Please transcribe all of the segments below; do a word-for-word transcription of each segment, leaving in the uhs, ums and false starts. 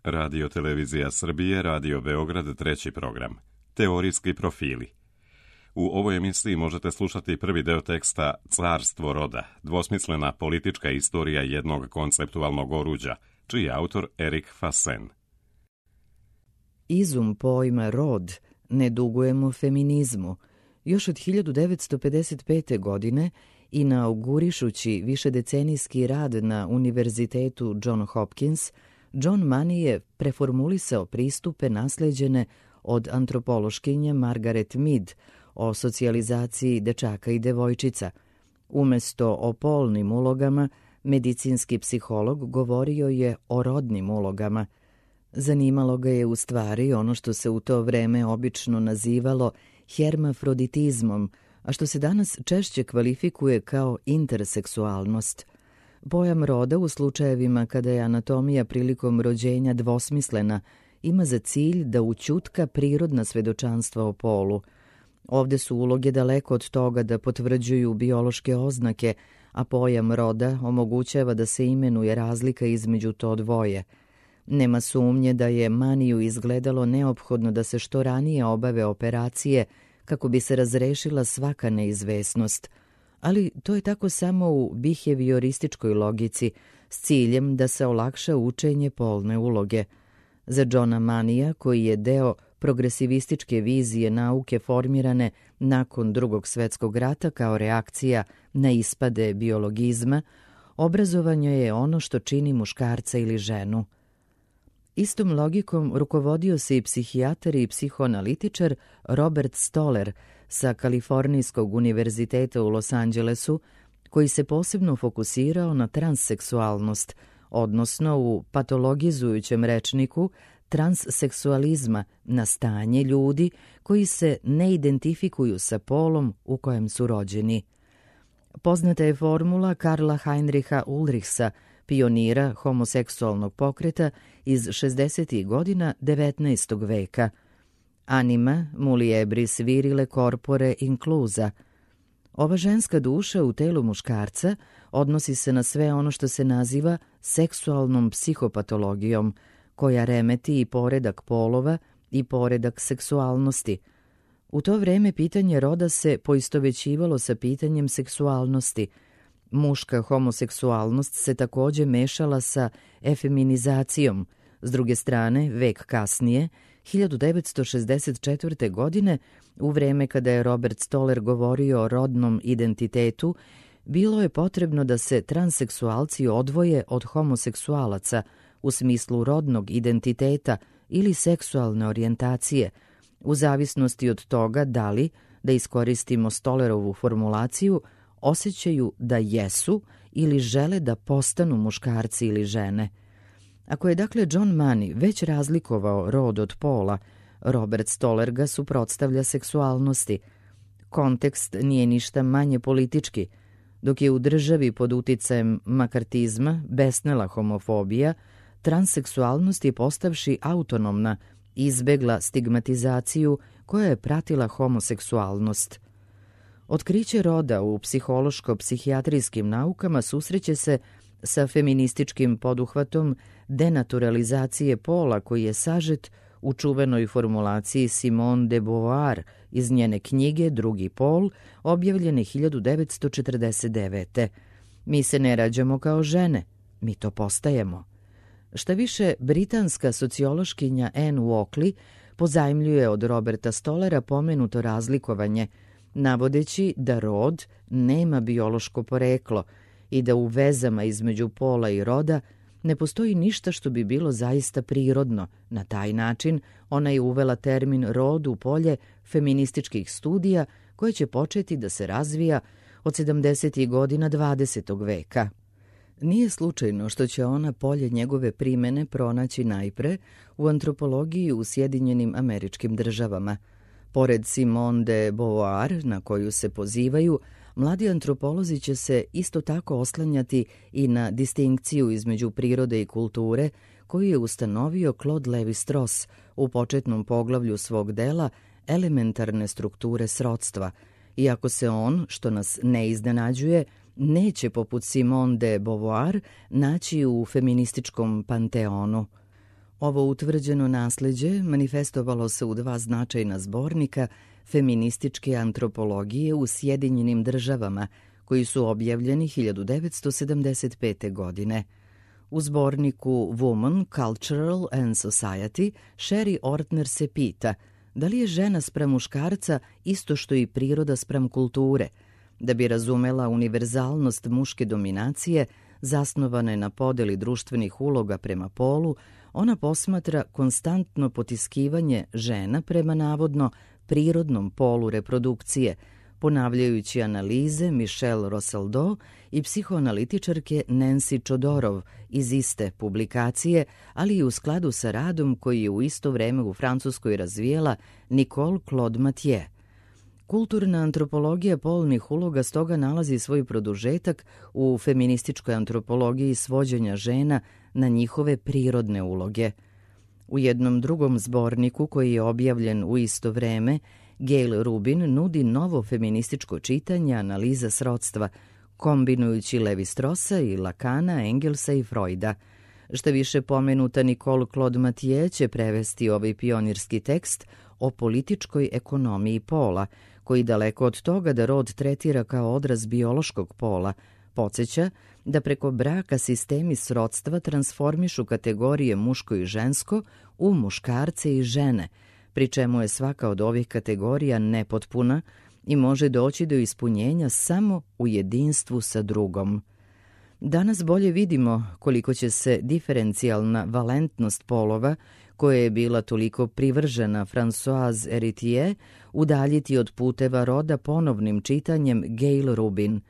Radio Televizija Srbije, Radio Beograd, treći program. Teorijski profili. U ovoj emisiji možete slušati prvi deo teksta Carstvo roda, dvosmislena politička istorija jednog konceptualnog oruđa, čiji je autor Erik Fassen. Izum pojma rod ne dugujemo feminizmu. Još od hiljadu devetsto pedeset pete. godine, inaugurišući višedecenijski rad na Univerzitetu John Hopkins, John Money je preformulisao pristupe nasleđene od antropološkinje Margaret Mead o socijalizaciji dečaka i devojčica. Umesto o polnim ulogama, medicinski psiholog govorio je o rodnim ulogama. Zanimalo ga je u stvari ono što se u to vreme obično nazivalo hermafroditizmom, a što se danas češće kvalifikuje kao interseksualnost. Pojam roda u slučajevima kada je anatomija prilikom rođenja dvosmislena ima za cilj da ućutka prirodna svedočanstva o polu. Ovde su uloge daleko od toga da potvrđuju biološke oznake, a pojam roda omogućava da se imenuje razlika između to dvoje. Nema sumnje da je Maniju izgledalo neophodno da se što ranije obave operacije kako bi se razrešila svaka neizvesnost, ali to je tako samo u biheviorističkoj logici s ciljem da se olakša učenje polne uloge. Za Johna Manija, koji je deo progresivističke vizije nauke formirane nakon Drugog svjetskog rata kao reakcija na ispade biologizma, obrazovanje je ono što čini muškarca ili ženu. Istom logikom rukovodio se i psihijatar i psihoanalitičar Robert Stoller sa Kalifornijskog univerziteta u Los Angelesu, koji se posebno fokusirao na transseksualnost, odnosno u patologizujućem rečniku transseksualizma na stanje ljudi koji se ne identifikuju sa polom u kojem su rođeni. Poznata je formula Karla Heinricha Ulrichsa, pionira homoseksualnog pokreta iz šezdesetih godina devetnaestog veka. Anima muliebris virile corpore inclusa. Ova ženska duša u telu muškarca odnosi se na sve ono što se naziva seksualnom psihopatologijom, koja remeti i poredak polova i poredak seksualnosti. U to vreme pitanje roda se poistovećivalo sa pitanjem seksualnosti. Muška homoseksualnost se takođe mešala sa efeminizacijom. S druge strane, vek kasnije, hiljadu devetsto šezdeset četvrte. godine, u vreme kada je Robert Stoller govorio o rodnom identitetu, bilo je potrebno da se transseksualci odvoje od homoseksualaca u smislu rodnog identiteta ili seksualne orijentacije, u zavisnosti od toga da li, da iskoristimo Stollerovu formulaciju, osjećaju da jesu ili žele da postanu muškarci ili žene. Ako je dakle John Money već razlikovao rod od pola, Robert Stoller ga suprotstavlja seksualnosti. Kontekst nije ništa manje politički. Dok je u državi pod uticajem makartizma besnela homofobija, transseksualnost je postavši autonomna, izbegla stigmatizaciju koja je pratila homoseksualnost. Otkriće roda u psihološko-psihijatrijskim naukama susreće se sa feminističkim poduhvatom denaturalizacije pola koji je sažet u čuvenoj formulaciji Simone de Beauvoir iz njene knjige Drugi pol, objavljene hiljadu devetsto četrdeset devete. Mi se ne rađamo kao žene, mi to postajemo. Šta više, britanska sociološkinja Anne Walkley pozajmljuje od Roberta Stollera pomenuto razlikovanje, navodeći da rod nema biološko poreklo i da u vezama između pola i roda ne postoji ništa što bi bilo zaista prirodno. Na taj način ona je uvela termin rod u polje feminističkih studija koje će početi da se razvija od sedamdesetih godina dvadesetog veka. Nije slučajno što će ona polje njegove primene pronaći najpre u antropologiji u Sjedinjenim Američkim Državama. Pored Simone de Beauvoir, na koju se pozivaju, mladi antropolozi će se isto tako oslanjati i na distinkciju između prirode i kulture koju je ustanovio Claude Lévi-Strauss u početnom poglavlju svog dela Elementarne strukture srodstva, iako se on, što nas ne iznenađuje, neće poput Simone de Beauvoir naći u feminističkom panteonu. Ovo utvrđeno nasleđe manifestovalo se u dva značajna zbornika feminističke antropologije u Sjedinjenim državama, koji su objavljeni hiljadu devetsto sedamdeset pete. godine. U zborniku Woman, Cultural and Society, Sherry Ortner se pita da li je žena spram muškarca isto što i priroda spram kulture. Da bi razumela univerzalnost muške dominacije, zasnovane na podeli društvenih uloga prema polu, ona posmatra konstantno potiskivanje žena prema navodno prirodnom polu reprodukcije, ponavljajući analize Michelle Roseldo i psihoanalitičarke Nancy Chodorov iz iste publikacije, ali i u skladu sa radom koji je u isto vreme u Francuskoj razvijela Nicole Claude Mathieu. Kulturna antropologija polnih uloga stoga nalazi svoj produžetak u feminističkoj antropologiji svođenja žena na njihove prirodne uloge. U jednom drugom zborniku koji je objavljen u isto vreme, Gayle Rubin nudi novo feminističko čitanje analiza srodstva, kombinujući Levi-Strossa i Lacana, Engelsa i Freuda. Šta više, pomenuta Nicole Claude Mathieu će prevesti ovaj pionirski tekst o političkoj ekonomiji pola, koji daleko od toga da rod tretira kao odraz biološkog pola, podsjeća da preko braka sistemi srodstva transformišu kategorije muško i žensko u muškarce i žene, pri čemu je svaka od ovih kategorija nepotpuna i može doći do ispunjenja samo u jedinstvu sa drugom. Danas bolje vidimo koliko će se diferencijalna valentnost polova, koja je bila toliko privržena Françoise Héritier, udaljiti od puteva roda ponovnim čitanjem Gayle Rubin.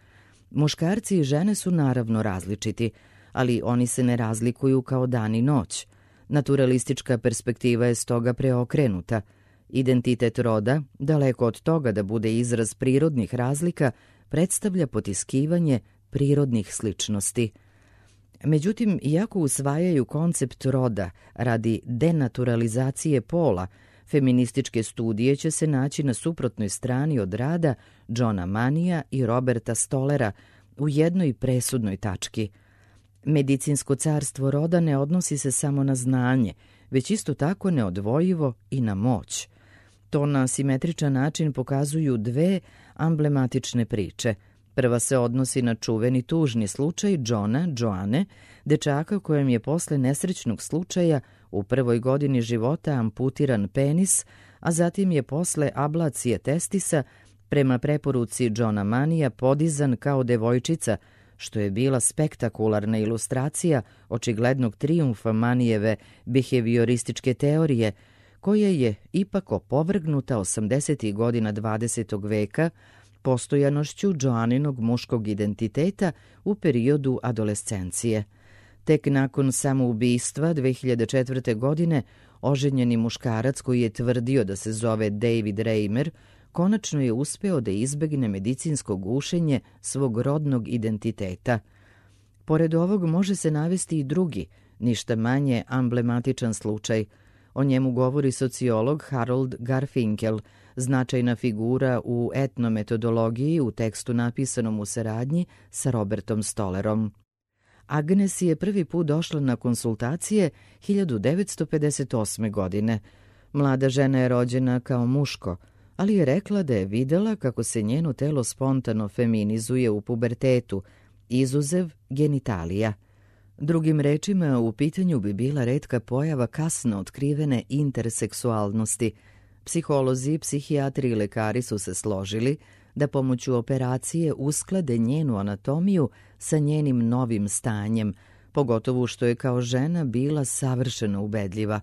Muškarci i žene su naravno različiti, ali oni se ne razlikuju kao dan i noć. Naturalistička perspektiva je stoga preokrenuta. Identitet roda, daleko od toga da bude izraz prirodnih razlika, predstavlja potiskivanje prirodnih sličnosti. Međutim, iako usvajaju koncept roda radi denaturalizacije pola, feminističke studije će se naći na suprotnoj strani od rada Johna Manija i Roberta Stollera u jednoj presudnoj tački. Medicinsko carstvo roda ne odnosi se samo na znanje, već isto tako neodvojivo i na moć. To na simetričan način pokazuju dve amblematične priče. Prva se odnosi na čuveni tužni slučaj Johna, Joane, dečaka kojem je posle nesrećnog slučaja u prvoj godini života amputiran penis, a zatim je posle ablacije testisa prema preporuci Johna Manija podizan kao devojčica, što je bila spektakularna ilustracija očiglednog trijumfa Manijeve behaviorističke teorije, koja je ipak opovrgnuta osamdesetih godina dvadesetog veka postojanošću Joaninog muškog identiteta u periodu adolescencije. Tek nakon samoubistva dve hiljade četvrte. godine oženjeni muškarac koji je tvrdio da se zove David Reimer konačno je uspeo da izbegne medicinsko gušenje svog rodnog identiteta. Pored ovog može se navesti i drugi, ništa manje amblematičan slučaj. O njemu govori sociolog Harold Garfinkel, značajna figura u etnometodologiji u tekstu napisanom u saradnji sa Robertom Stollerom. Agnes je prvi put došla na konsultacije hiljadu devetsto pedeset osme. godine. Mlada žena je rođena kao muško, ali je rekla da je videla kako se njeno telo spontano feminizuje u pubertetu, izuzev genitalija. Drugim rečima, u pitanju bi bila retka pojava kasno otkrivene interseksualnosti. Psiholozi, psihijatri i lekari su se složili da pomoću operacije usklade njenu anatomiju sa njenim novim stanjem, pogotovo što je kao žena bila savršeno ubedljiva.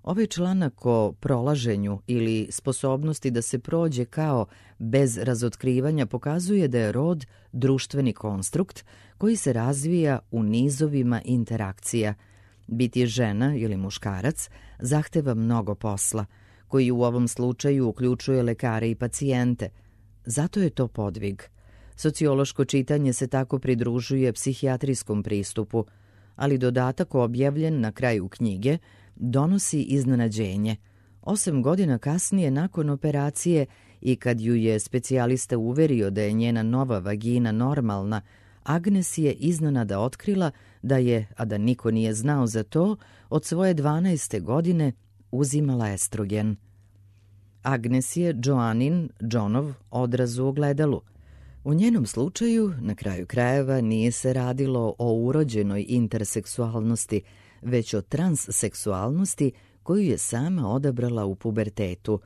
Ovaj članak o prolaženju ili sposobnosti da se prođe kao bez razotkrivanja pokazuje da je rod društveni konstrukt koji se razvija u nizovima interakcija. Biti žena ili muškarac zahteva mnogo posla, koji u ovom slučaju uključuje lekare i pacijente. Zato je to podvig. Sociološko čitanje se tako pridružuje psihijatrijskom pristupu, ali dodatak objavljen na kraju knjige donosi iznenađenje. Osam godina kasnije nakon operacije i kad ju je specijalista uverio da je njena nova vagina normalna, Agnes je iznenada otkrila da je, a da niko nije znao za to, od svoje dvanaeste godine uzimala estrogen. Agnes je Joanin, Johnov, odraz u ogledalu. U njenom slučaju, na kraju krajeva, nije se radilo o urođenoj interseksualnosti, već o transseksualnosti koju je sama odabrala u pubertetu.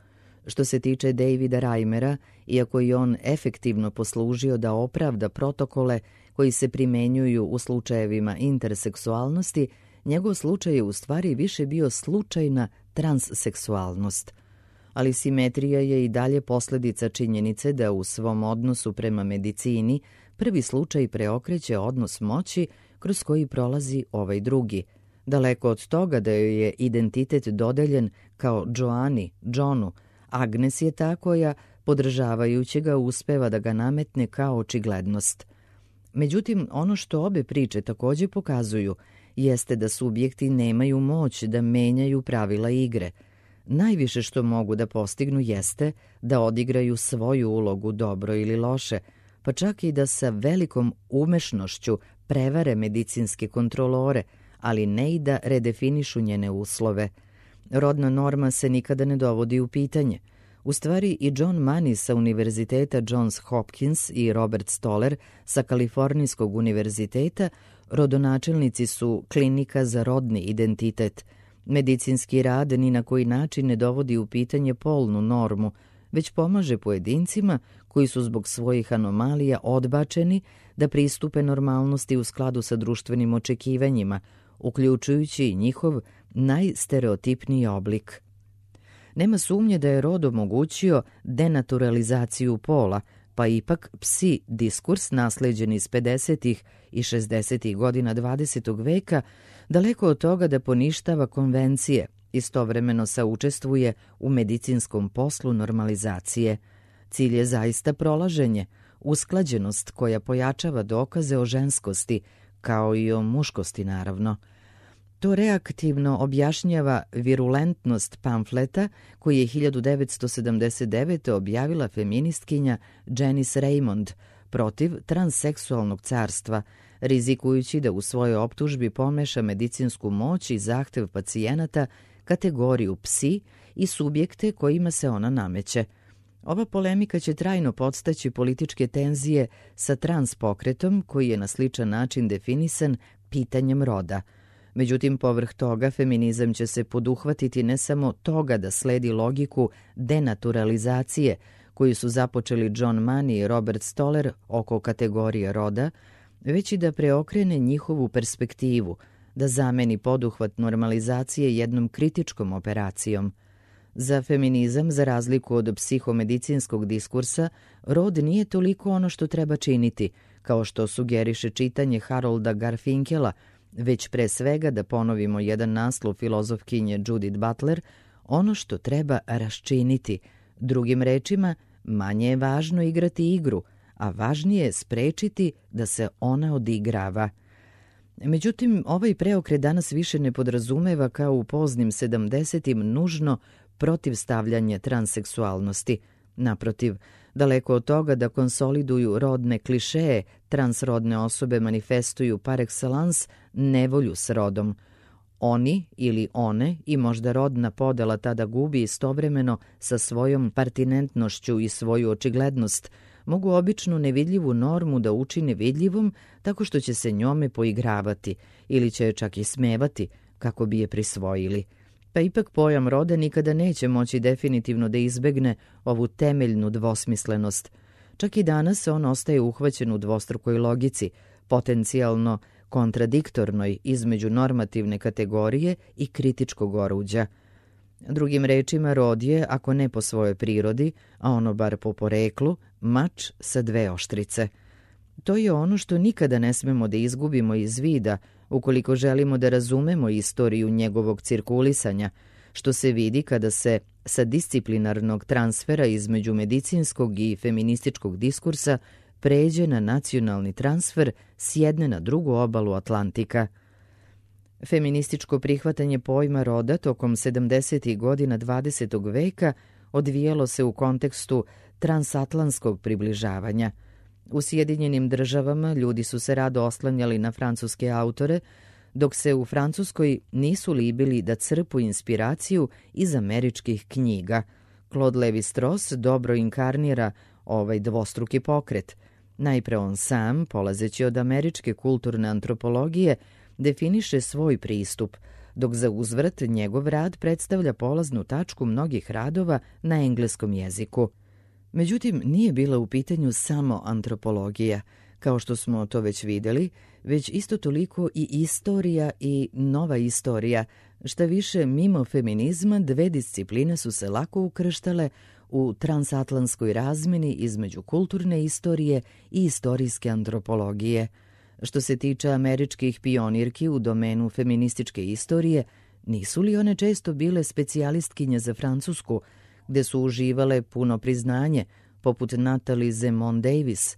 Što se tiče Davida Reimera, iako je on efektivno poslužio da opravda protokole koji se primenjuju u slučajevima interseksualnosti, njegov slučaj je u stvari više bio slučajna transseksualnost. Ali simetrija je i dalje posljedica činjenice da u svom odnosu prema medicini prvi slučaj preokreće odnos moći kroz koji prolazi ovaj drugi. Daleko od toga da joj je identitet dodeljen kao Joani, Johnu, Agnes je ta koja, podržavajući ga, uspeva da ga nametne kao očiglednost. Međutim, ono što obe priče također pokazuju jeste da subjekti nemaju moć da menjaju pravila igre. Najviše što mogu da postignu jeste da odigraju svoju ulogu dobro ili loše, pa čak i da sa velikom umešnošću prevare medicinske kontrolore, ali ne i da redefinišu njene uslove. Rodna norma se nikada ne dovodi u pitanje. U stvari i John Money sa univerziteta Johns Hopkins i Robert Stoller sa Kalifornijskog univerziteta rodonačelnici su klinika za rodni identitet. Medicinski rad ni na koji način ne dovodi u pitanje polnu normu, već pomaže pojedincima koji su zbog svojih anomalija odbačeni da pristupe normalnosti u skladu sa društvenim očekivanjima, uključujući i njihov najstereotipniji oblik. Nema sumnje da je rod omogućio denaturalizaciju pola, pa ipak psi diskurs nasleđen iz pedesetih i šezdesetih godina dvadesetog veka daleko od toga da poništava konvencije, istovremeno saučestvuje u medicinskom poslu normalizacije. Cilj je zaista prolaženje, usklađenost koja pojačava dokaze o ženskosti, kao i o muškosti naravno. To reaktivno objašnjava virulentnost pamfleta koji je hiljadu devetsto sedamdeset devete. objavila feministkinja Janice Raymond protiv transseksualnog carstva, rizikujući da u svojoj optužbi pomeša medicinsku moć i zahtev pacijenata, kategoriju psi i subjekte kojima se ona nameće. Ova polemika će trajno podstaći političke tenzije sa trans pokretom koji je na sličan način definisan pitanjem roda. Međutim, povrh toga, feminizam će se poduhvatiti ne samo toga da sledi logiku denaturalizacije koju su započeli John Money i Robert Stoller oko kategorije roda, već i da preokrene njihovu perspektivu, da zameni poduhvat normalizacije jednom kritičkom operacijom. Za feminizam, za razliku od psihomedicinskog diskursa, rod nije toliko ono što treba činiti, kao što sugeriše čitanje Harolda Garfinkela, već pre svega, da ponovimo jedan naslov filozofkinje Judith Butler, ono što treba raščiniti. Drugim rečima, manje je važno igrati igru, a važnije je sprečiti da se ona odigrava. Međutim, ovaj preokret danas više ne podrazumeva kao u poznim sedamdesetim nužno protivstavljanje transseksualnosti. Naprotiv, daleko od toga da konsoliduju rodne klišeje, transrodne osobe manifestuju par excellence nevolju s rodom. Oni ili one i možda rodna podela tada gubi istovremeno sa svojom partinentnošću i svoju očiglednost, mogu običnu nevidljivu normu da učine vidljivom tako što će se njome poigravati ili će je čak i smevati kako bi je prisvojili. Pa ipak pojam roda nikada neće moći definitivno da izbegne ovu temeljnu dvosmislenost. Čak i danas on ostaje uhvaćen u dvostrukoj logici, potencijalno kontradiktornoj između normativne kategorije i kritičkog oruđa. Drugim rečima, rod je, ako ne po svojoj prirodi, a ono bar po poreklu, mač sa dve oštrice. To je ono što nikada ne smemo da izgubimo iz vida, ukoliko želimo da razumemo istoriju njegovog cirkulisanja, što se vidi kada se sa disciplinarnog transfera između medicinskog i feminističkog diskursa pređe na nacionalni transfer s jedne na drugu obalu Atlantika. Feminističko prihvatanje pojma roda tokom sedamdesetih godina dvadesetog veka odvijelo se u kontekstu transatlantskog približavanja. U Sjedinjenim državama ljudi su se rado oslanjali na francuske autore, dok se u Francuskoj nisu libili da crpu inspiraciju iz američkih knjiga. Claude Lévi-Strauss dobro inkarnira ovaj dvostruki pokret. Najpre on sam, polazeći od američke kulturne antropologije, definiše svoj pristup, dok za uzvrat njegov rad predstavlja polaznu tačku mnogih radova na engleskom jeziku. Međutim, nije bila u pitanju samo antropologija, kao što smo to već videli, već isto toliko i istorija i nova istorija. Šta više, mimo feminizma, dve discipline su se lako ukrštale u transatlantskoj razmeni između kulturne istorije i istorijske antropologije. Što se tiče američkih pionirki u domenu feminističke istorije, nisu li one često bile specijalistkinje za Francusku, gde su uživale puno priznanje, poput Natalie Zemon Davis?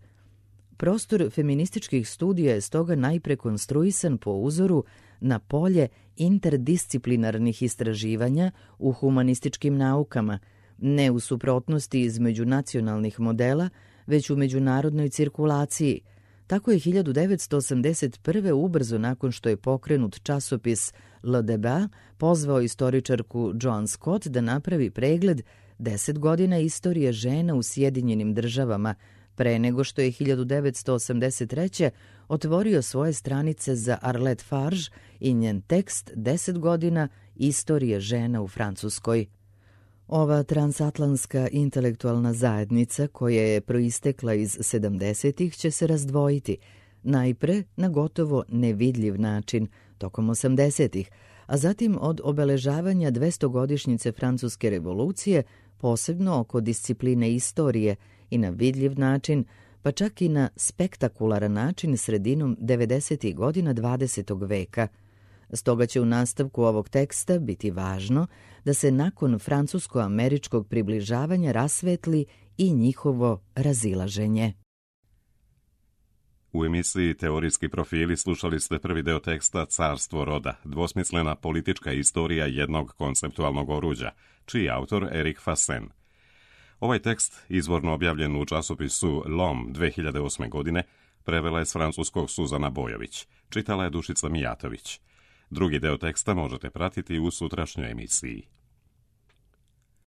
Prostor feminističkih studija je stoga najpre konstruisan po uzoru na polje interdisciplinarnih istraživanja u humanističkim naukama, ne u suprotnosti između nacionalnih modela, već u međunarodnoj cirkulaciji. Tako je hiljadu devetsto osamdeset prve ubrzo nakon što je pokrenut časopis Le Débat pozvao istoričarku Joan Scott da napravi pregled deset godina istorije žena u Sjedinjenim državama, pre nego što je hiljadu devetsto osamdeset treće otvorio svoje stranice za Arlette Farge i njen tekst deset godina istorije žena u Francuskoj. Ova transatlantska intelektualna zajednica koja je proistekla iz sedamdesetih će se razdvojiti, najpre na gotovo nevidljiv način tokom osamdesetih, a zatim od obeležavanja dvestogodišnjice Francuske revolucije, posebno oko discipline istorije, i na vidljiv način, pa čak i na spektakularan način sredinom devedesetih godina dvadesetog veka. Stoga će u nastavku ovog teksta biti važno da se nakon francusko-američkog približavanja rasvetli i njihovo razilaženje. U emisiji Teorijski profili slušali ste prvi deo teksta Carstvo roda, dvosmislena politička istorija jednog konceptualnog oruđa, čiji je autor Erik Fassen. Ovaj tekst, izvorno objavljen u časopisu L'Homme dve hiljade osme. godine, prevela je s francuskog Suzana Bojović, čitala je Dušica Mijatović. Drugi deo teksta možete pratiti u sutrašnjoj emisiji.